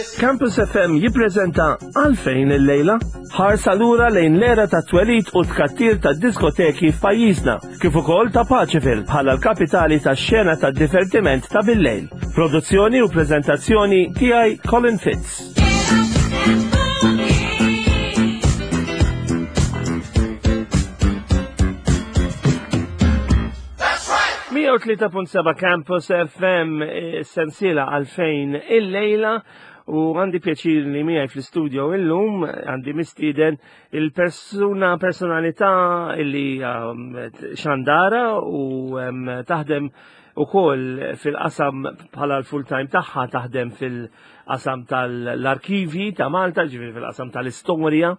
this. Campus FM jippreżenta Għalfejn illejla ħarsa lura lejn l-era ta' twelid u tkattir ta' diskoteki f'pajjiżna, kif ukoll ta' Paċeville bħala l-kapitali tax-xena ta' divertiment ta' billejl. Produzzjoni u preżentazzjoni tiegħi Colin Fitz. 103.7 Campus FM eh, sensiela għalfejn il-lejla u għandi pjaċir li miegħi fl-istudio illum għandi mistieden il-persuna personalità illi um, xandara u um, taħdem ukoll fil-qasam bħala l-full-time tagħha taħdem fil-qasam tal-arkivji ta' Malta, ġifieri fil-qasam tal-istorja,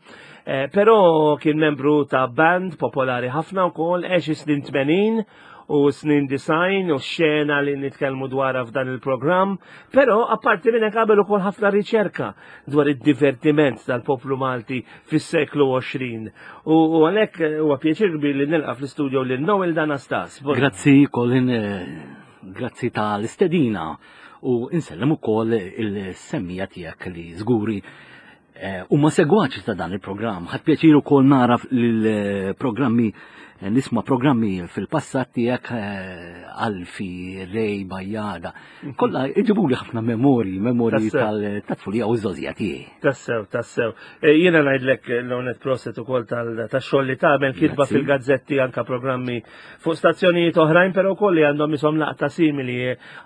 eh, però kien membru ta' band popolari ħafna wkoll għex snin 80 u snin design u xena li nitkellmu dwarha f'dan il-programm, però apparti minn hekk qabel ukoll ħafna riċerka dwar id-divertiment tal-poplu Malti fis-seklu 20. U għalhekk eh, huwa pjaċir kbir li nilqa' fl-istudio lil Noel Danastas. Grazzi Colin, eh, grazzi tal-istedina u insellem ukoll il-semmija tiegħek li żguri eh, huma segwaċi ta' dan il-programm. Ħadd pjaċir ukoll nara l-programmi nisma' programmi fil-passat tiegħek Alfi, Rej, Bajjada. Kollha iġibuli ħafna memorji, memorji tal-tfulija u ż-żożija tiegħi. Tassew, tassew. E, jiena ngħidlek eh, l-onet proset ukoll tax-xogħol li tagħmel kitba fil-gazzetti anka programmi fuq stazzjonijiet oħrajn, però wkoll li għandhom isom laqta simili.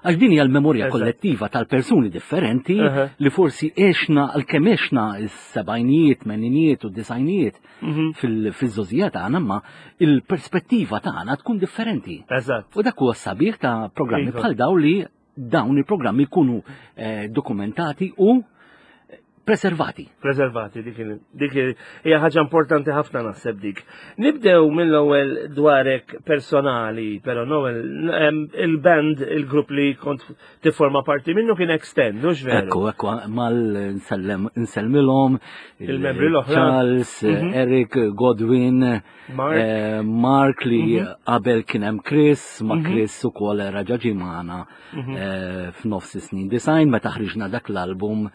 Għax din hija l-memorja kollettiva tal-persuni differenti li forsi għexna għalkemm għexna s-sebgħinijiet, tmeninijiet u d-disgħinijiet mhm. fil-żożija tagħna, ma il-perspettiva tagħna tkun differenti. Eżatt. U dak huwa sabiħ ta' programmi iva. bħal daw li dawn il-programmi jkunu eh, dokumentati u preservati. Preservati, dik dik hija ħaġa importanti ħafna naħseb dik. Nibdew mill-ewwel dwarek personali, però Noel, il-band, il-grupp li kont tifforma parti minnu kien Extend, mhux veru? Ekku, ekku, mal nsellmilhom il-membri l-oħra. Charles, mhm. Eric, Godwin, Mark, eh, Mark li mhm. qabel kien hemm Chris, ma mhm. Chris ukoll raġa' ġie magħna eh, f'nofs is-snin design meta ħriġna dak l-album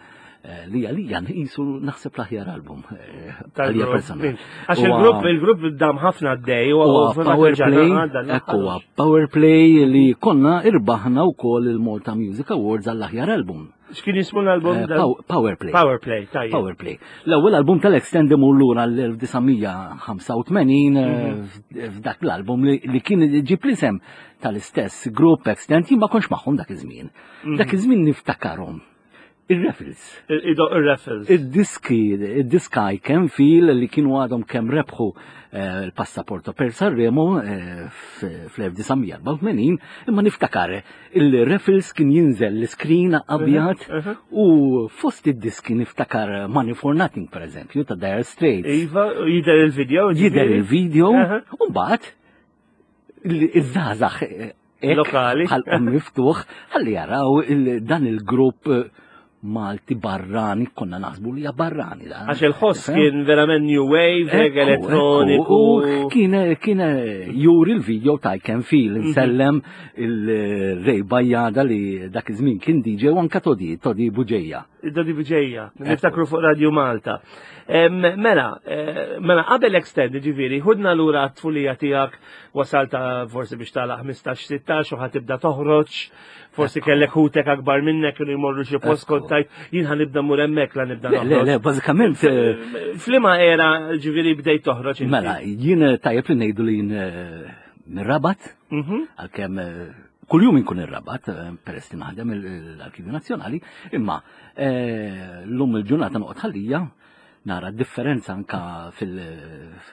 Eh, li għalija nqisu naħseb l-aħjar album eh, għalija personali. Għax il-grupp il-grupp dam ħafna d-dej u Power Play, ekku Power Play li konna irbaħna wkoll il-Malta Music Awards għall-aħjar album. X'kien jismu l-album? Eh, Power Play. Power Play, tajjeb. Power Play. L-ewwel album tal-Extend imur lura l-1985 mhm. f'dak l-album li kien ġib l-isem tal-istess grupp Extend jien ma kontx magħhom dak iż-żmien. Mhm. Dak iż-żmien niftakarhom Ir-raffles. Ir-raffles. Id-diski, id-diska I Can Feel li kienu għadhom kemm rebħu eh, l-passaporto per Sanremo eh, fl-1984, imma niftakar il-raffles kien jinżel l-iskrin abjad mhm, mhm. u fost id-diski niftakar Money for Nothing per eżempju ta' Dire Straits. Iva, jider il-video. Jider il-video, u mbagħad iż-żgħażagħ eh, lokali ħalqhom miftuħ ħalli jaraw dan il-grupp eh, Malti barrani, konna naħsbu li barrani. Da. Għax il-ħoss kien verament new wave, elettroniku. Kien kien juri l-video ta' I Can Feel, mhm. nsellem il-Rej Bajjada li dak iż-żmien kien DJ u anka Todi, Todi Buġeja. Dodi Buġeja, niftakru fuq Radio Malta. Mela, eh, mela qabel extend, ġifieri, ħudna lura t-tfulija tiegħek wasalta forsi biex tagħlaq 15-16 u ħatibda toħroġ, forsi kellek ħutek akbar minnek kienu jmorru xi post kont tajt jien ħanibda mur hemmhekk la nibda Le, le, bażikament. Eh, Flima era ġifieri bdejt toħroġ. Mela, jien tajjeb li ngħidu li jien eh, mir-Rabat, mhm. għalkemm kuljum inkun ir-Rabat, eh, peress li naħdem l-Arkivju Nazzjonali, imma eh, l-lum il-ġurnata noqgħod ħallija nara differenza anka fil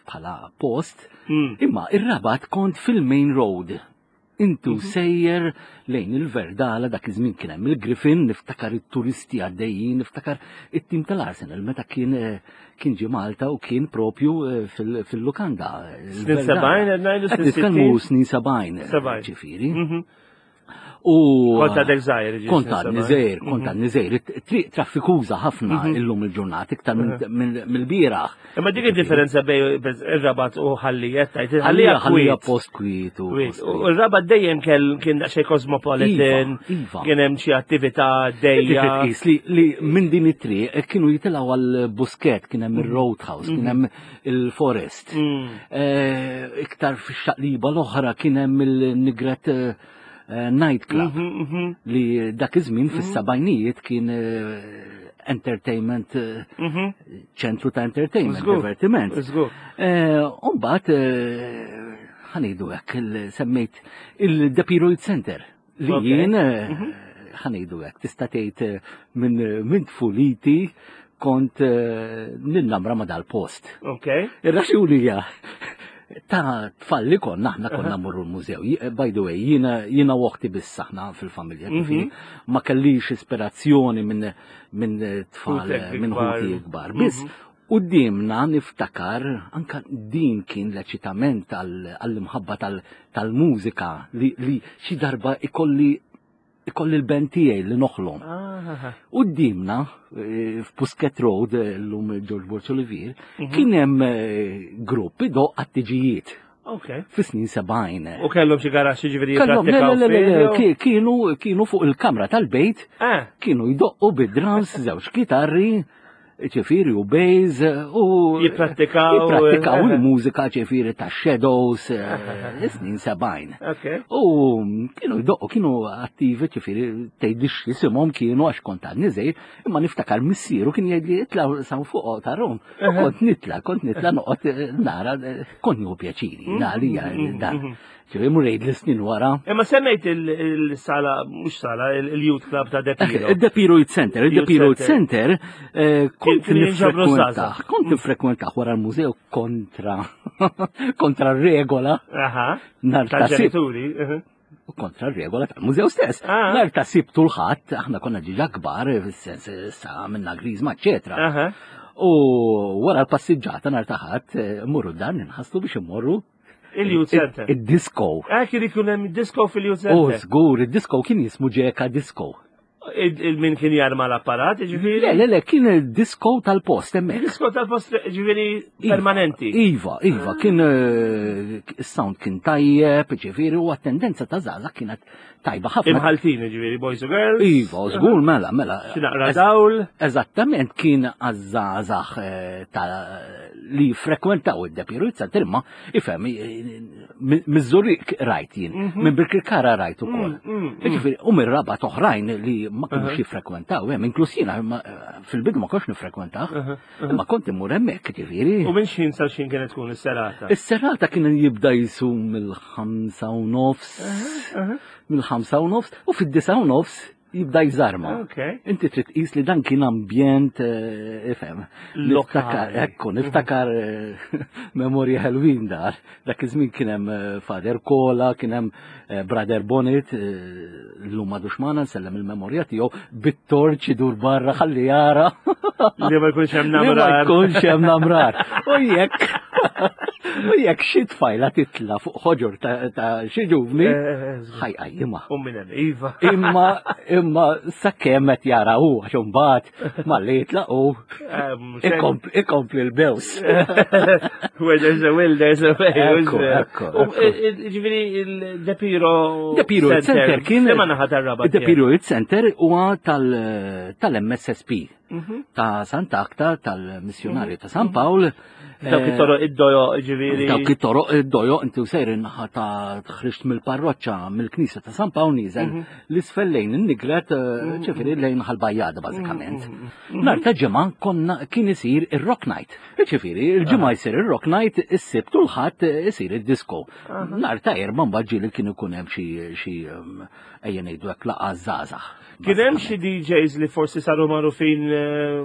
bħala post, mm. imma ir-Rabat kont fil-main road. Intu mhm. sejjer lejn il-Verdala dak iż-żmien kien hemm il-Griffin, niftakar it-turisti għaddejjin, niftakar it-tim tal-Arsenal meta kien eh, kien ġie Malta u kien propju eh, fil-lukanda. Snin 70, ngħidu snin 70. Snin 70, ġifieri. Mhm. U Kont għadek żgħir, ġifieri, Kont għadni żgħir, kont għadni żgħir. Triq traffikuża ħafna illum il-ġurnata iktar mill-bieraħ. Imma dik id-differenza bej ir-Rabat u Ħallijet tajt. Ħallija ħallija post kwiet u. U r-Rabat dejjem kien daqsxejn cosmopolitan. Iva, iva. Kien hemm xi attività dejja. Tqis li minn din it-triq kienu jitilgħu għal Busket, kien hemm ir-Roadhouse, kien hemm il-Forest. Eh, iktar fix-xaqliba l-oħra kien hemm il-Nigret eh, nightclub li dak iż-żmien fis-sebgħinijiet kien eh, entertainment eh, ċentru ta' entertainment, divertiment. Umbagħad ħa ngħidu hekk semmejt il-Depiro Youth Center li jien ħa ngħidu hekk tista' tgħid minn tfuliti kont ninnamra ma' dal-post. Ir-raġuni hija ta' tfal li konna, aħna konna mmorru l-mużew. By the way, jiena u oħti biss aħna fil-familja, ġifieri ma kellix ispirazzjoni minn tfal minn ħuti kbar. Biss quddiemna niftakar anka din kien l-eċitament għall-imħabba tal-mużika li xi darba ikolli ikolli l-band tiegħi li noħlom. Quddiemna eh, f'Pusket Road eh, llum George Borg Olivier, mhm. kien hemm eh, grupp idoq għat-tiġijiet. Okay. Fis-snin 70. U kellhom xi garaxxi ġifieri jippratikaw. Kienu kienu fuq il-kamra tal-bejt, ah. kienu jdoqqu bid-drums, żewġ kitarri, ċifiri u bass u jipprattikaw jipprattikaw eh, il-mużika ċifiri ta' Shadows eh, snin 70. U kienu jdoqqu kienu attivi ċifiri tgħidix jisimhom kienu għax kont għadni żgħir, imma niftakar missieru kien jgħidli itla' sa fuq ta' Rom. U kont nitla' kont nitla' noqgħod eh, nara kont nieħu pjaċiri, għalija dan. Ġifieri mur li snin wara. Imma semmejt il-sala, mhux sala, il-Youth Club ta' Depiro. Il-Depiro Youth Center, il-Depiro Youth Center, eh, kont nifrekwentaħ, kont nifrekwentaħ wara l-mużew kontra, kontra regola. Aha. Nar ta' ġenituri. Eh. Kontra regola tal-mużew stess. Ah. Nar ta' sibtu l-ħadd, aħna konna ġiġa kbar, fis-sens sa minna grizma, eċetera. U wara l-passiġġata nar ta' ħadd, eh, mmorru dan ninħaslu biex immorru Il-Youth Center. Id-disco. Eh, kien ikun hemm disco fil-Youth Center. Oh, żgur, id-disco kien jismu Ġeka Disco. Il-min kien jarma l-apparat, ġifieri? Le, le, le, kien il-disco tal-post hemmhekk. Disco tal-post, ġifieri iva, permanenti. Iva, iva, kien eh, is-sound kien tajjeb, ġifieri, u għat-tendenza ta' żgħażagħ kienet tajba ħafna. Imħaltin, ġifieri, boys u girls. Iva, żgur, mela, mela. Xi naqra dawl. Eżattament kien għaż-żgħażagħ eh, ta' li frekwentaw id-Depiru Center, imma ifhem miż-Żurrieq rajt jien, mhm. minn Birkirkara rajt ukoll. Mm, mm, mm. Ġifieri, u mir-Rabat oħrajn li ma kinux jiffrekwentaw, hemm inkluż jiena fil-bidu ma kontx nifrekwentaw, imma kont immur hemmhekk, ġifieri. U minn x'ħin sa x'ħin kienet tkun is-serata? Is-serata kien jibda jisum mill-5 u nofs, mill-5:30, u fid-9:30 jibda jżarma. Inti trid tqis li dan kien ambjent eh, ifhem. Niftakar, ekku, niftakar eh, memorja ħelwin dar. Dak iż-żmien kien hemm eh, Father Kola, kien hemm Brother Bonnet, llum m'għadux magħna nsellem il-memorja tiegħu bit-torċ idur barra ħalli jara. Li ma jkunx hemm namrar. Li ma jkunx hemm namrar. U jekk u jekk xi tfajla titla fuq ħoġor ta' xi ġuvni, ħajqajjimha. U minn hemm iva. Imma imma sakemm qed jara hu għax imbagħad malli jitlaq hu ikompli l-bews. Where there's a will, there's a way. Ekku, ekku. Ġifieri il-Depiro Depiro Center kien. Imma naħa tar-Rabat. Depiro Center huwa tal-MSSP. Mhm. Ta' Sant'Akta, tal-missjonarju ta' San Pawl. Dawk it-toroq id-dojo ġifieri. Dawk it-toroq id-dojo inti sejr in-naħa ta' ħriġt mill-parroċċa mill-Knisja ta' San Pawl nieżel mhm. l-isfel lejn in-Nigret eh, mhm. ġifieri lejn ħal-Bajjada bażikament. Nhar ta' ġimgħa konna kien isir ir-Rock Night. Ġifieri il-ġimgħa jsir ir-Rock Night, is-Sibt u l-Ħadd isir id-disco. Nhar ta' Erbgħa mbagħad ġieli kien ikun hemm xi ejja ngħidu hekk laqgħa żgħażagħ. Kien hemm xi DJs li forsi saru magħrufin eh,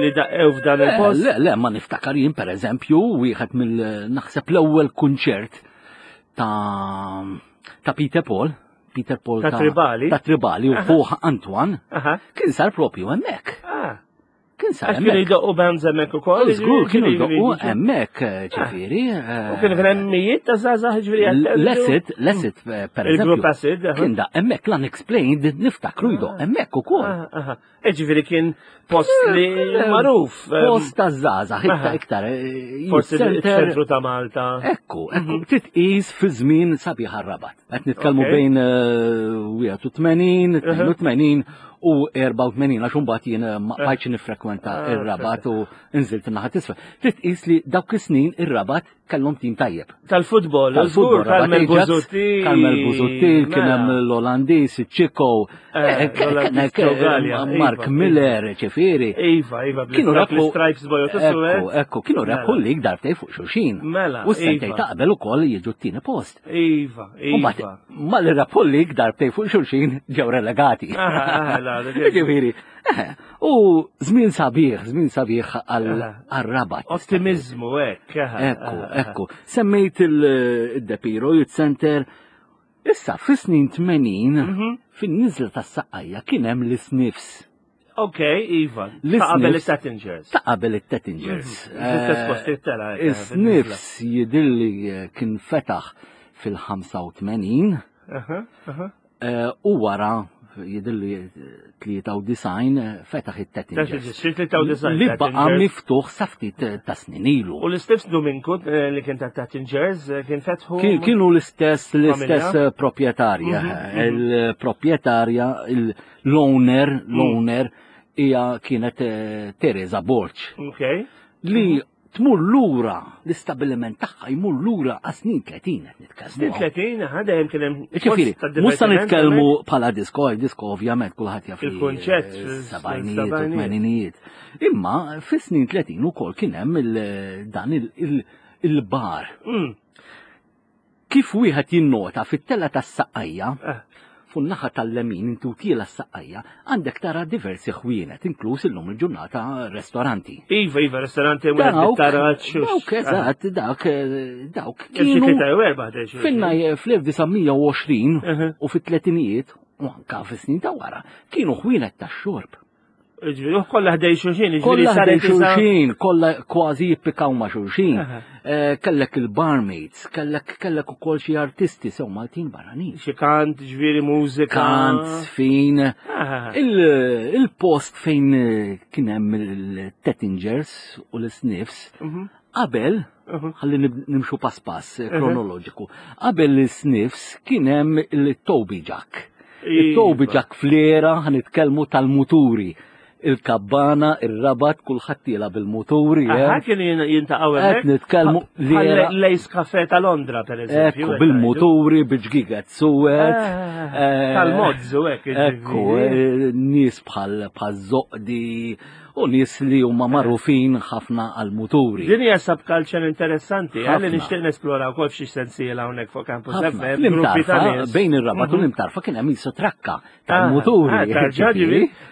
li daqqew f'dan il-post? Le, le, ma niftakar jien pereżempju wieħed mill naħseb l-ewwel kunċert ta' ta' Peter Paul. Peter Paul ta' Tribali. Ta' Tribali u ħuħ Antoine kien sar propju hemmhekk. Ah. Kien sar Għax kienu jdoqqu bands hemmhekk ukoll. Żgur kienu jdoqqu hemmhekk, ġifieri. U kienu kien hemm mijiet ta' żgħażagħ ġifieri. L-acid, l-acid per eżempju. Il-grupp acid. Kien da hemmhekk l-unexplained niftakru jdoq ah. hemmhekk ukoll. Ah, ah, ġifieri kien post li magħruf. Post ta' żgħażagħ iktar iktar. Forsi ċentru ta' Malta. Ekku, ekku, mhm. titqis fi żmien sabiħ rabat. Qed nitkellmu bejn 81, 82 u 84 għax imbagħad jien eh, ma bqajtx nifrekwenta ah, ir-Rabat u nżilt in-naħa t'isfel. Trid tqis li dawk is-snin ir-Rabat kellhom tim tajjeb. Tal-futbol, żgur, Carmel Busuttil. Carmel Busuttil, kien hemm l-Olandiż, iċ-Ċiko, eh, eh, Mark iva, Miller, iva. ċifieri. Iva, iva, kienu rebħu stripes bojot Ekku, ekku, kienu rebħu l-lig darbtej fuq xulxin. Mela. U s-sentej iva. ta' qabel ukoll jiġu t-tieni post. Iva, iva. Malli rebħu l-lig darbtej fuq xulxin ġew relegati. Ġifieri, u żmien sabiħ, żmien sabiħ għal-Rabat. Ottimizmu, hekk. Ekku, ekku. Semmejt il-Depiro Youth Center. Issa, fis-snin 80, mhm. fin-niżla tas-Saqqajja kien hemm l-Sniffs. Ok, Iva. Ta' qabel it-Tettingers. Ta' qabel it-Tettingers. Mhm. L-istess post it-tela. Is-Sniffs jidilli kien fetaħ fil-85. U wara jidilli 93 fetaħ it-Tettingers. Li baqa' miftuħ sa ftit ta' snin ilu. U l-istess Dominku li kien ta' Tettingers kien fetħu. Kienu l-istess l-istess proprjetarja. Il-proprjetarja l-owner, l-owner hija kienet Teresa Borg. Ok. Li tmur lura l-istabiliment tagħha jmur lura għas snin 30 qed nitkellmu. Snin 30, ħa dejjem kien hemm. Ġifieri, mhux se nitkellmu bħala disko, disko ovvjament kulħadd jaf. Il-kunċett sebgħinijiet u tmeninijiet. Imma fis-snin 30 ukoll kien hemm dan il-bar. Kif wieħed jinnota fit-tella tas-Saqqajja, eh. fuq naħa tal-lemin inti u tiela s-Saqqajja, għandek tara diversi ħwienet, inkluż illum il-ġurnata restoranti. Iva, iva, restoranti u taraċ. Dawk, eżatt, dak, eh, dawk. Kienu. Finna fl-1920 u fit-tletinijiet, u anka fis-snin ta' wara, kienu ħwienet tax-xorb. Ġifieri, kollha ħdej xulxin, ġifieri ħdej xulxin, kollha kważi jippikaw ma' xulxin. Eh, kellek il-barmaids, kellek kellek ukoll xi artisti sew Maltin barranin. Xi kant, ġifieri mużika. Kant, sfin. Il-post fejn eh, kien hemm il-Tettingers u l-Sniffs, mhm. qabel, mhm. ħalli nimxu pass pass eh, kronoloġiku, qabel l-Sniffs kien hemm il-Toby Jack. It-Toby iva. Jack fl-era ħanitkellmu tal-muturi. Il-kabbana, ir-rabat, kulħadd tiela bil-muturi. Aha, eh. kienu jintaqgħu hemmhekk. Qed nitkellmu l-era. L-Ace Cafe ta' Londra, per eżempju. Ekku, bil-muturi, bil-ġgiget suwed. Ah, eh, Tal-mozz u hekk. Ekku, eh, nies bħal zoqdi u nies li huma magħrufin ħafna għall-muturi. Din hija subculture interessanti, għalli nixtieq nesplora wkoll f'xi sensiela hawnhekk fuq Campus FM. Gruppi ta' nies. Bejn ir-Rabat u mhm. l-Imtarfa kien hemm jisu trakka tal-muturi. Ah, ah,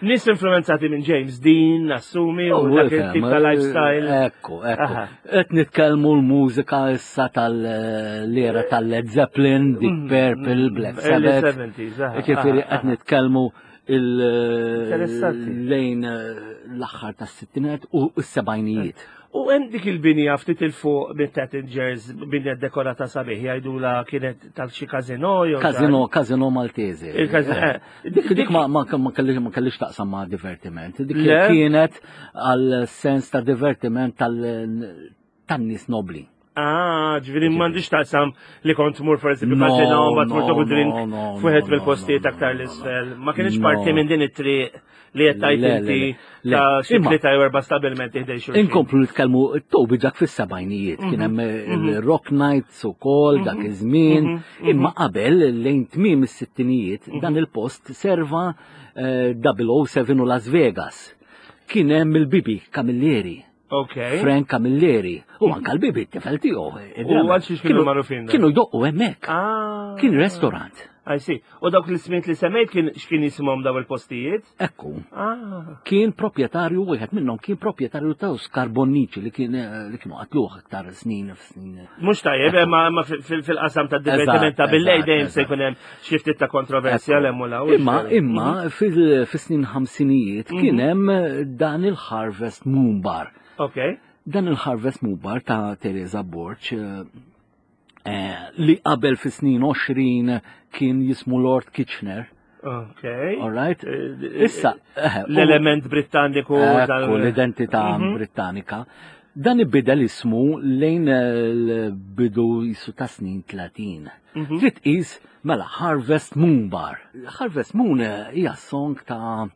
nies influenzati minn James Dean, assumi, u oh, dak il-tip ta' lifestyle. Ekku, ekku. Qed nitkellmu l-mużika issa tal-era tal-Led Zeppelin, Deep mhm. Purple, Black Sabbath. Ġifieri qed nitkellmu il-lejn l-aħħar tas-sittinet u s-sebgħinijiet. U hemm dik il-binja ftit il fuq minn Tattingers, binja dekorata sabiħ, jgħidula kienet tal xi kazino jew. Kazino, kazino Maltese. Eh, dik dik ma ma kellix taqsam ma' divertiment. Dik kienet għal sens ta' divertiment tal tan-nies nobli. Ah, ġviri m'għandix taqsam li kont tmur for eżempju kazino, ma tmur toħu drink fuħed mill-postijiet aktar l-isfel. Ma kienx parti minn din it-triq li qed tajt inti ta' xi tlieta jew erba' stabilmenti ħdej xulxin. Inkomplu nitkellmu Toby dak fis-sebgħinijiet, kien hemm mhm, mhm. il-Rock Nights ukoll dak mhm, iż-żmien, imma qabel lejn tmiem is-sittinijiet dan il-post serva 007 eh, u Las Vegas. Kien hemm il-Bibi Camilleri. Okay. Frank Camilleri. U anka l-bibi t-tifel tiegħu. U għal xiex kienu magħrufin. Kienu jdoqqu hemmhekk. Ah. Kien restaurant. I see. U dawk l-ismijiet li semmejt kien x'kien jisimhom daw il-postijiet? Ekku. Ah. Kien proprjetarju wieħed minnhom kien proprjetarju ta' Skarbonnici li kien eh, li kienu qatluh aktar snin f'snin. Mhux tajjeb, imma imma fil-qasam ta' divertiment ta' billej dejjem se jkun hemm xi ftit ta' kontroversja l hemm u Imma imma mhm. fis-snin ħamsinijiet kien mhm. hemm dan il-Harvest Moon Bar. Ok. Dan il-Harvest Moon Bar ta' Teresa Borg eh, Eh, li qabel fi snin 20 kien jismu Lord Kitchener. Ok. All right. Eh, Issa, eh, l-element Britanniku. L-identità mhm. Britannika. Dan ibidel ismu lejn l-bidu jisu ta' snin 30. Mhm. Trid qis mela Harvest Moon Bar. Harvest Moon hija song ta'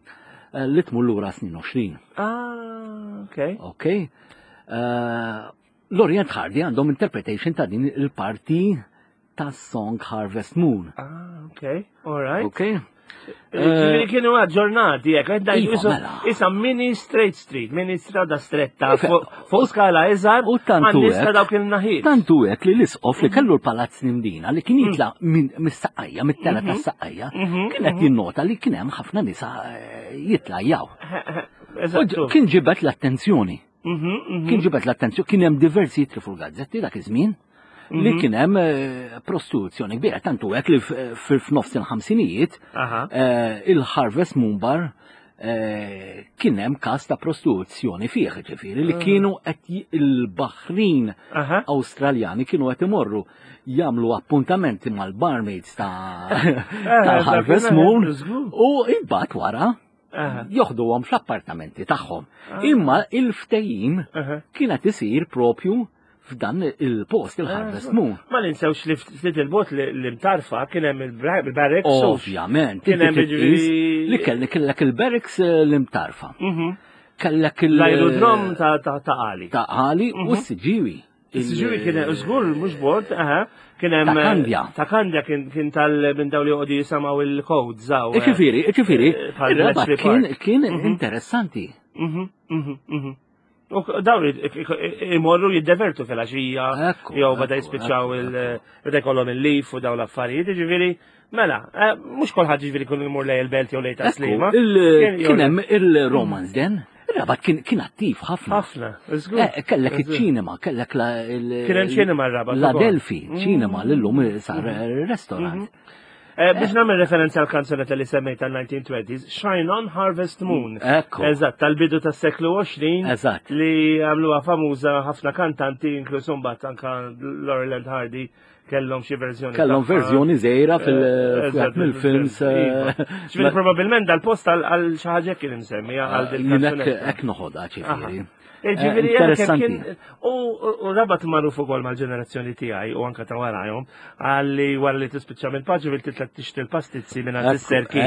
li tmur lura snin 20. Ah, ok. Ok. L-Orient Hardy għandhom interpretation ta' din il-parti ta' song Harvest Moon. Ah, ok, all right. Ok. Ġifieri eh, kienu aġġornati, jek, iva, mela. Isa mini straight street, mini strada stretta, fuq skala iżgħar, u tantu hekk. dawk il-naħiet. Tantu hekk li l-isqof li kellu l-palazz Nimdina li kien jitla mm. mis-saqqajja, mit-tela mhm. tas-saqqajja, mhm, kien qed mhm. jinnota li kien hemm ħafna nisa eh, jitlajjaw. Kien ġibet l-attenzjoni. Mhm, mhm. Kien ġibet l-attenzjoni, kien hemm diversi jitri fuq gazzetti dak iż-żmien li mhm. kien hemm eh, prostituzzjoni kbira, tantu hekk li f'nofs il-ħamsinijiet eh, il-Harvest Moon Bar eh, kien hemm każ ta' prostituzzjoni fih, ġifieri li kienu qed il-Baħrin Awstraljani kienu qed imorru jagħmlu appuntamenti mal-barmaids ta' Harvest Moon u imbagħad wara joħduhom fl-appartamenti tagħhom. Ah. Imma il-ftehim kienet isir propju f'dan il-post il-Harvest ah, Moon. Ma ninsewx li ftit il-bot li mtarfa kien hemm il-barracks. Ovvjament, kien hemm li kellek kellek il-barracks eh, l-imtarfa. Mhm. Kellek l-aerodrom ta' għali. Ta' għali u mhm. s-siġiwi. Siġuri kien żgur mhux bord, aha, kien hemm. Ta' Kandja. Ta' Kandja kien tal minn dawn li joqogħdu jisimgħu il-codes hawn. Eh. Ġifieri, ġifieri, eh, ir-rabat kien kien mhm. interessanti. Mhm, mhm, U dawn imorru jiddevertu fil-għaxija, jew bada jispiċċaw il bada jkollhom il-lif u dawn l-affarijiet, ġifieri, mela, eh, mhux kulħadd ġifieri kun imur lej il-belt jew lej taslima. Kien hemm il-Romans den. Rabat kien kien attiv ħafna. Ħafna, żgur. Eh, kellek iċ-ċinema, kellek la Kien hemm ċinema r-Rabat. La Delfi, mm. ċinema l-lum sar mm. restaurant. Mm-hmm. Eh, biex nagħmel referenza għal kanzunetta li semmejt tal-1920s, Shine On Harvest Moon. Ekku. Eżatt, tal-bidu tas-seklu 20. Eżatt. Li għamluha famuża ħafna kantanti, inkluż mbagħad anka Laurel and Hardy kellhom xi verżjoni. Kellhom verżjoni żgħira fil-films. Eh, eh, iva. Ġifieri probabbilment dal-post għal xi ħaġa kien imsemmi għal eh, dil Hekk noħodha ġifieri. Ġifieri interessanti. U rabat magħruf ukoll mal-ġenerazzjoni tiegħi u anke ta' warajhom għalli wara li tispiċċa mill-paġi bil titla tixtri l-pastizzi minn għand is-serki.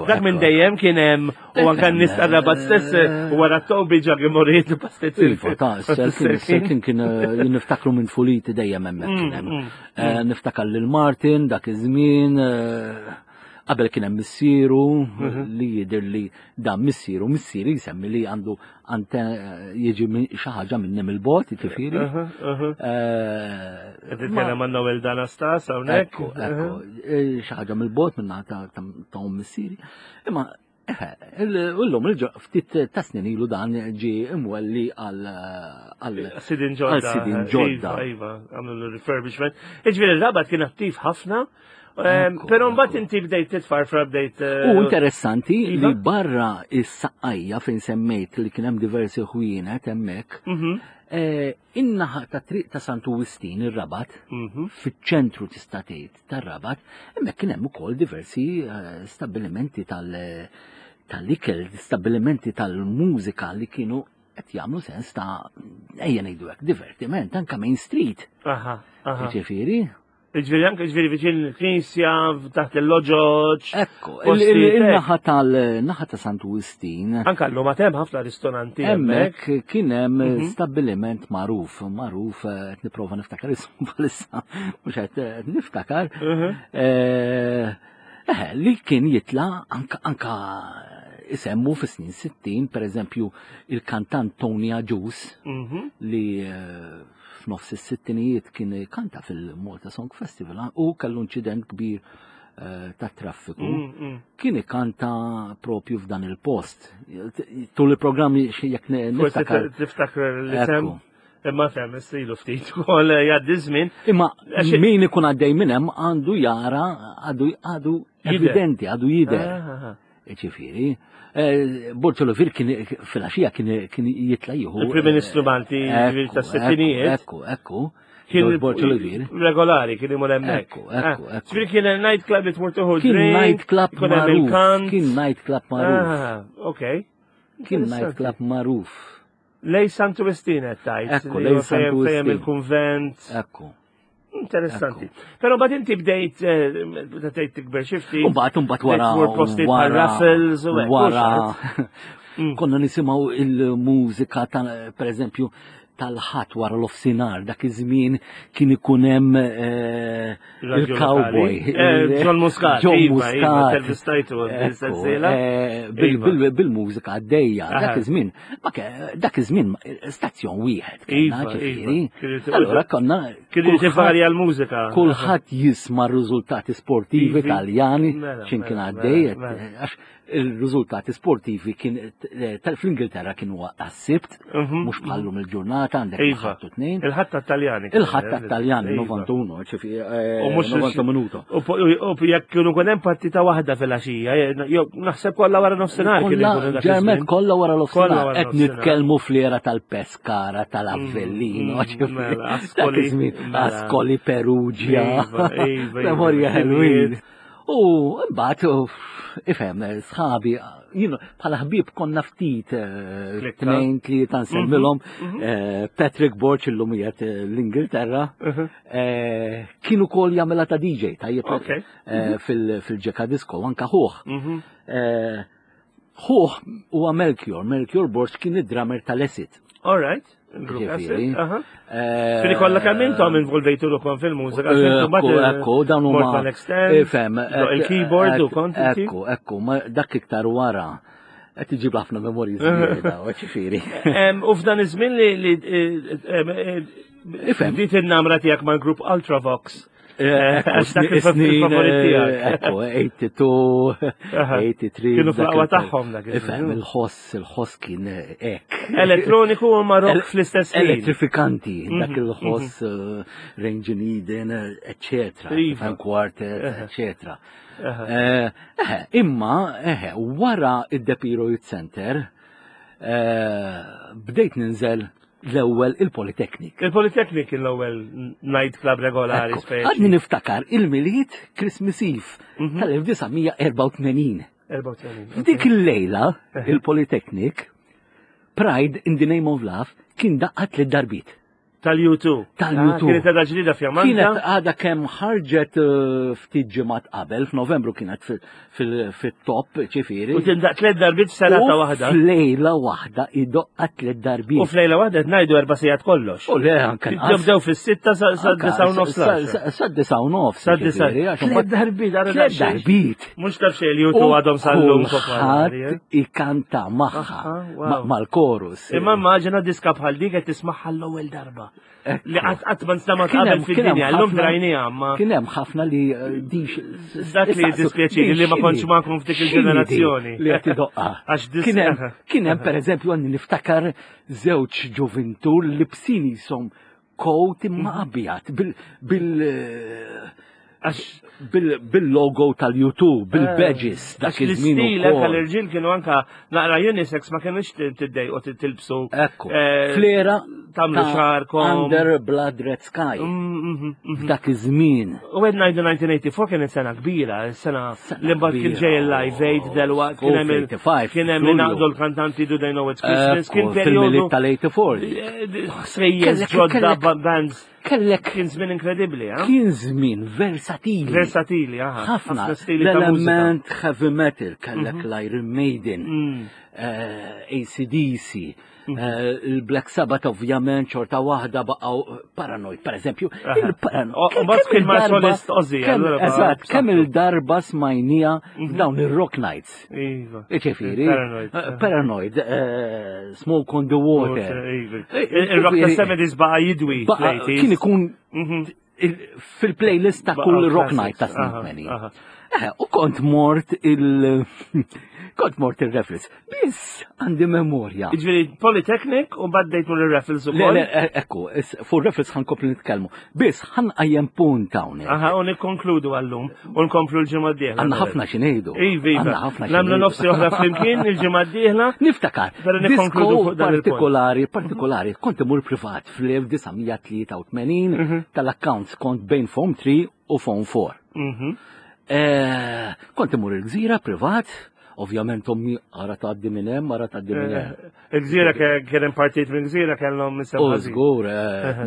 Dak minn dejjem kien hemm U anka n-nis tar-rabat stess eh, wara t-tobi ġag imorriet il-pastizzi. Iva, ta' s-serkin kien eh, niftakru minn fuliti dejjem hemmhekk kien hemm. Mm, mm, eh, mm. Niftakar lil Martin dak iż-żmien qabel kien hemm missieru mhm. li jidher li dan missieru missieri jsemmi li għandu ante jiġi xi ħaġa minn il-bot, jiġifieri. Titkellem għan Noel Danastas hawnhekk. Ekku, ekku, xi ħaġa mill-bot minn ta' missieri. Imma Illum ftit ta' snin ilu dan ġi imwelli għal sidin ġodda. Sidin ġodda. Iva, iva, għamlu l-refurbishment. Iġviri l-rabat kien attiv ħafna, ehm, pero mbagħad inti bdejt titfarfra bdejt. Eh, U interessanti li iva. barra is-saqqajja fejn semmejt li kien hemm diversi ħwienet hemmhekk, mhm. eh, in-naħa ta' triq ta' Santu Wistin ir-Rabat, mhm. fiċ-ċentru tista' tgħid tar-Rabat, hemmhekk kien hemm ukoll diversi eh, stabbilimenti tal-ikel, stabbilimenti tal-mużika li kienu qed jagħmlu sens ta' ejja ngħidu hekk divertiment anke Main Street. Aha, aha. Ġifieri, Ġviri anke ġviri viċin il-knisja, taħt il-loġoġ. Ekku, il-naħa tal-naħa ta' Santu Wistin. Anka l-lum hemm ħafna ristoranti hemmhekk. Kien hemm mhm. stabbiliment magħruf, magħruf eh, qed nipprova niftakar ismu bħalissa, mhux qed eh, niftakar. Mhm. Eh, li kien jitla anka anka isemmu fis-snin 60, per eżempju, il-kantant Tony Agius mhm. li f'nofs is-sittinijiet kien kanta fil-Malta Song Festival u kellu inċident kbir eh, ta' traffiku kien ikanta propju f'dan il-post. Tul il-programm jekk niftakar. Tiftakar li sem. Imma fem, istilu ftit ukoll eh, jgħaddi żmien. Imma min ikun għaddej minn hemm għandu jara għadu għadu evidenti, għadu jidher. Ah, ah, ah. Ġifieri, eh, Borġ Olivier kien fil-għaxija kien jitla' jieħu. Il-Prim Ministru Malti ta' sittinijiet. Ekku, ekku. Kien Borġ Olivier. Regolari kien imur hemmhekk. Ekku, ekku, ekku. Ġifieri kien night club li tmur tuħu Kien night club magħruf. Kien night club magħruf. Ah, ok. Kien night club magħruf. Lej Santu Wistin qed tgħid. Ekku, lej Santu Wistin. il-kunvent. Ekku. Interessanti. Però bad inti bdejt eh, bdejt tikber xifti. U mbagħad imbagħad wara wara raffles u wara. Konna nisimgħu il-mużika ta' pereżempju tal-ħadd wara l-ofsinar dak iż-żmien kien ikun hemm eh, il-cowboy. Eh, John Muscat. John iva, iva, Muscat. Eh, bil-mużika għaddejja dak iż-żmien. Dak iż-żmien stazzjon wieħed iva, ġifieri. Allura konna Kienu jivarja l-mużika. Kulħadd jisma' r-riżultati sportivi Taljani mela, x'in kien mela, għaddej mela, għax il-riżultati sportivi kien eh, fl-Ingilterra kienu għas-sibt, mhm. mhux bħallum il-ġurnata għandek iva. il-ħadd u tnejn. Il-ħadd tat-Taljani. Il-ħadd tat-Taljani, 91, ċifi, eh, U mhux 90 minuto. U jekk kienu kun hemm partita waħda fil-għaxija, jew naħseb kollha wara nofsinhar kien ikun dak Ġermet kollha wara nofsinhar qed nitkellmu fl-era tal-Pescara, tal-Avellino, mm, mm, mela, Ascoli, Ascoli Perugia. Iva, iva, iva. Memorja ħelwin. U mbagħad ifhem sħabi jien bħala ħbieb konna ftit eh, tnejn tlieta nsemmilhom mhm, mhm. eh, Patrick Borch illum qiegħed eh, l-Ingilterra mhm. kien ukoll jagħmilha ta' DJ tajjeb mhm. fil-ġeka disco anka ħuh. Ħuh huwa Melchior, Melchior Borch kien id-drummer tal-Esit. All right. Ġifieri. Eh, Fili kollha kemm intom involvejtu ruħkom fil-mużika. Ekku, ekku, dawn huma. Ifhem. Il-keyboard u kont. Ekku, ekku, ma dak iktar wara. Qed iġib ħafna memorji ġifieri. U f'dan iż-żmien li Ifhem. Bdiet in-namra tiegħek mal-grupp Ultravox. Eh, Għax dak il-favorit tiegħek. Ekku, 82, 83. Kienu fl-aqwa tagħhom dak. Ifhem, il-ħoss, il-ħoss kien hekk. Elettroniku u ma rock fl-istess ħin. Elettrifikanti, mhm, dak il-ħoss mhm. eh, Range in Eden, eccetera. Iva. Quartet, eccetera. Eh, imma, wara id-Depiro Youth Center, bdejt ninżel l-ewwel il-Polytechnic. Il-Polytechnic kien l-ewwel night club regolari speċi. Għadni niftakar il-Milied Christmas Eve mhm. tal-1984. 84. F'dik il-lejla il-Polytechnic Pride in the Name of Love kien daqqat li darbit. Tal-U2. Tal-U2. Ah, kienet għadha ġdida fjamanta. Kienet għadha kemm ħarġet eh, ftit ġimgħat qabel, f'Novembru kienet fit-top, ċifieri. U tindaq tliet darbiet f'serata waħda. F'lejla waħda idoqqa tliet darbiet. U f'lejla waħda qed ngħidu erba' sigħat kollox. U le anke. Bdew fis-sitta sa disa' u nofs. Sa disa' u nofs. Sa disa' Tliet darbiet. Tliet darbiet. Mhux taf xejn li U2 għadhom sal-lum popolari. Eh? Ikanta magħha mal-korus. Imma immaġina diska bħal dik qed tismagħha l-ewwel darba. Li qatt qatt ma nstema' qabel fid-dinja, llum drajniha ma. Kien hemm ħafna li eh, dix. Dak li dispjaċini li ma kontx magħkom f'dik il-ġenerazzjoni. Li qed idoqqa. Għax Kien hemm kien hemm pereżempju għandi niftakar żewġ ġuvintur li bsin jisom coat imma mhm. abjad bil bil bil-logo tal-YouTube, bil-badges, eh, dak iż-żmien. L-istil anka l-irġiel kienu anka naqra unisex ma kienux tiddejqu tilbsu. Ekku. Eh, Flera tagħmlu xarkom. Under Blood Red Sky. Mm, mm, mm, F'dak iż-żmien. U għed ngħidu 1984 kienet sena kbira, sena li mbagħad kien ġej il-Live Aid delwaqt kien hemm kien hemm ingħaqdu l-kantanti Do They Know It's Christmas, kien perjodu tal-84. Eh, Sejjes ġodda bands. Kellek kien żmien inkredibbli, eh? Kien żmien versatili. Versatili, aha. Ħafna l-element heavy metal, kellek mhm. l-Iron Maiden, mm. eh, ACDC, mhm. eh, il-Black Sabbath ovvjament xorta waħda baqgħu Paranoid, per eżempju. Il-Paranoid. Kien ma solist Ozzy. Eżatt, kemm il-darba smajnija mhm. f'dawn ir-Rock Nights. Iva. Iġifieri. Paranoid. Eh, paranoid, eh, smoke on the water. Iva. Eh, Il-rock ta' 70s baqa jidwi. Kien ikun mhm. fil-playlist ta' kull rock night ta' snin 80. Eh, u kont mort il- kont mort il-Raffles. Biss għandi memorja. Ġifieri Polytechnic u baddejtu l-Raffles Le, ukoll. le, eh, ekku, fuq Raffles ħan komplu nitkellmu. Biss ħan qajjem punt hawnhekk. Aha, u nikkonkludu għallum u nkomplu l-ġimgħa d-dieħla. Għandna ħafna xi ngħidu. Iva, iva. Għandna ħafna xi Nagħmlu ngħidu. nofsi oħra flimkien il-ġimgħa d-dieħla. Niftakar, Pero nikkonkludu disko fuq dan il-punt. partikolari, partikolari, kont imur privat fl-1983 tal-accounts kont bejn Form 3 u Form 4. Kont imur il-gżira privat, ovvjament ommi ara tgħaddi minn hemm, ara tgħaddi minn hemm. Il-gżira kien hemm partit minn gżira kellhom isem U ħażin. żgur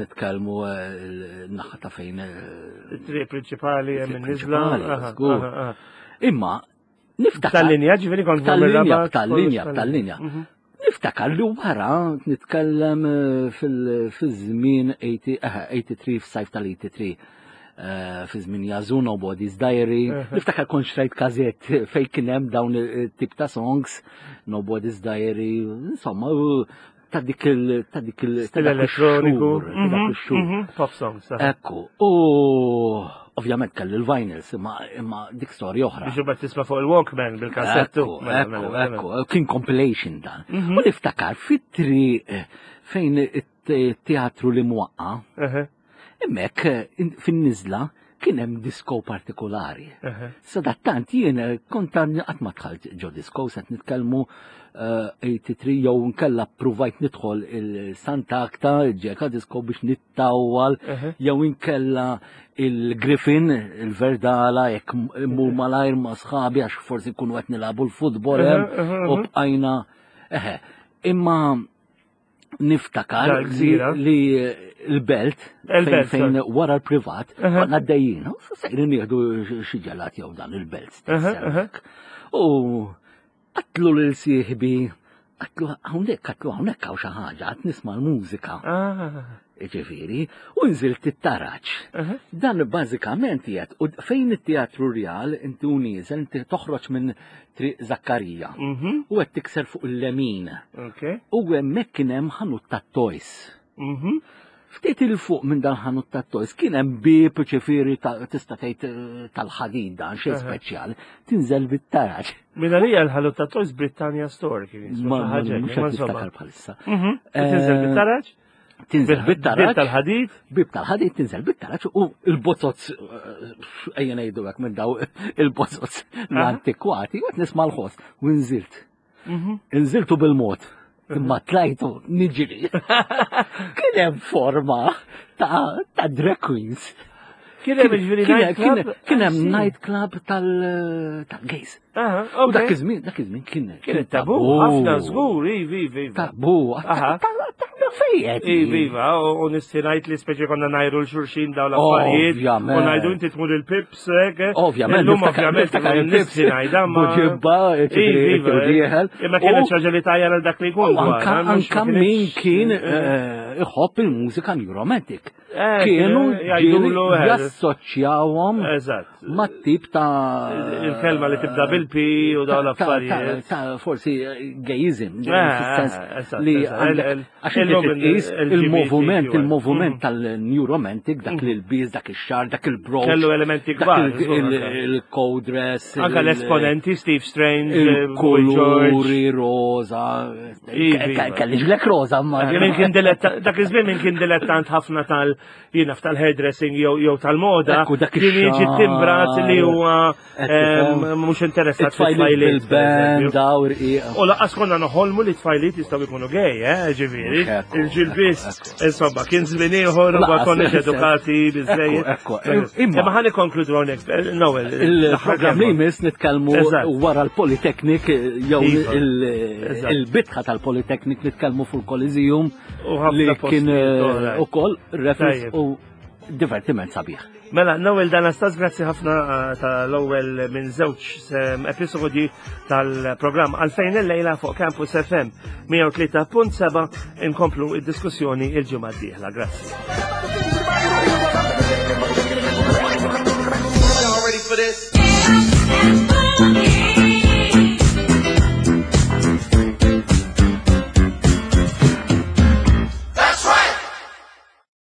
nitkellmu l-naħa ta' fejn It-triq prinċipali hemm It-triq in-niżla. prinċipali, Aha, żgur. aha, aha. Imma niftakar Tal-linja, ġifieri kont Tal-linja, mir-Rabat, tal-linja, kollox tal-linja. Niftakar li wara nitkellem fil-żmien 83, f'sajf tal-83, fi żmien Yazoo, Nobody's Diary. Niftakar kont xtrajt kazett fej kien hemm dawn il-tip ta' songs, Nobody's Diary, insomma, u ta' dik il ta' dik il ta' Stil dak elettroniku. ix-xhur, ta' dak ix-xhur. Pop songs. Aha. Ekku, u ovvjament kelli l-vinyls, imma dik storja oħra. Biex imbagħad tisma' fuq il-Walkman bil-kassettu. Ekku, Mela, ekku, mela, mela. ekku, kien compilation dan. U niftakar fit-triq fejn it-teatru li mwaqqa, hemmhekk fin-niżla kien hemm disco partikolari. Sadattant jien kont għadni qatt ma dħalt ġo disco, se nitkellmu 83 jew nkella provajt nidħol il-Santa Akta, il-ġeka disco biex nittawwal, jew inkella il-Griffin, il-Verdala, jekk immur malajr ma' sħabi għax forsi nkunu qed nilagħbu l-futbol hemm, u bqajna. Eħe, imma niftakar Dal-gżira. li l-belt Il-belt, fejn sorry. wara l-privat konna għaddejjin, u sejrin nieħdu xi ġelat jew dan il-belt stess Aha, aha. hemmhekk. U għedtlu lil sieħbi, għedtlu hawnhekk, għedtlu hawnhekk hawn xi ħaġa, qed nisma' l-mużika. Ġifieri, u nżilt it-taraġ. Dan bażikament jgħid, u fejn it-Teatru Real inti u nieżel, inti toħroġ minn Triq Zakkarija. U qed tikser fuq il-lemin. U hemmhekk kien hemm ħanut tat-toys. Ftit il fuq minn dan ħanut tat-toys kien hemm bieb ġifieri tista' tgħid tal-ħadid dan xejn speċjali. Tinżel bit-taraġ. Minn għalija l-ħanut tat-toys Britannia Store kien jismu Ma xi ħaġa hekk, mhux imma qed insomma. niftakar bħalissa. U tinżel bit-taraġ? Tinżel Bil- bit-taraġ. Bib tal-ħadid? Bib tal-ħadid tinżel bit-taraġ u il-bozoz, ejja ngħidu hekk minn daw il-bozoz l-antikwati, u qed nisma' l-ħoss u nżilt. Nżiltu bil-mod. Imma tlajtu niġri. Kien hemm forma ta' drag queens. Kien hemm ġifieri nightclub? Kien hemm I see. nightclub tal-gays. U dak iż-żmien kien Kien tabu, ħafna żgur, ivi, ivi, ivi. Tabu. Fejjet. Ivi, iva, u nisti ngħid li speċi konna ngħajru l-xulxin daw l-affarijiet. Ovvjament. U ngħidu inti tmur il-pips, hekk. Ovvjament, Illum niftakar- ovvjament, niftakar il-pips. nisti ngħidha ma. Buġibba, ġifieri, Ivi, iva, u dieħel. Imma kienet U- xi ħaġa li tajjar għal dak li jkun. U anka dwar, mhux anka ma min kienx- kien iħobb il-mużika new romantic. Kienu Jgħidulu, ġieli jassoċjawhom mat-tip ta' Il-kelma li tibda bil-P u dawn l-affarijiet. Ta' forsi gayism, fis-sens li għandek għax inti Illum titqis il-LGBTQ. il-moviment tal-new romantic, dak li l-biz, dak ix-xagħar, dak il-brooch. Kellu elementi dak kbar, żgur, anka. il-co-dress. Anka l-esponenti, Steve Strange, Boy George. Il-kuluri roza. Iva, iva. Kelli ġlek roza, ma. Min kien diletta, dak iż-żmien min kien dilettant ħafna tal jiena tal-hairdressing jew tal-moda, Ekku, dak kien jiġi ix-xagħar. timbrat li huwa Qed tifhem. mhux interessat It-tfajliet fit-tfajliet. bil-band, daw irqiqa. U lanqas konna noħolmu li tfajliet jistgħu jkunu gay, ġifieri. Mhux ekku, Il-ġil biss, ekku, insomma, kien żmien ieħor u ma Lanqas, konniex fis-sens. edukati biżejjed. Ekku, ekku. Imma ħa nikkonkludu hawnhekk, Noel. Il-programm li jmiss nitkellmu wara l-Polytechnic jew Iva. il-bitħa tal-Polytechnic nitkellmu fuq il-Coliseum U ħafna li kien postijiet oħrajn. ukoll reference Tajjeb. u divertiment sabiħ. Mela, Noel D'Anastas, grazzi ħafna tal-ewwel minn żewġ episodji tal-programm Għalfejn il-lejla fuq Campus FM 103.7 inkomplu id-diskussjoni il-ġimgħa d-dieħla. Grazzi. Y'all ready for this?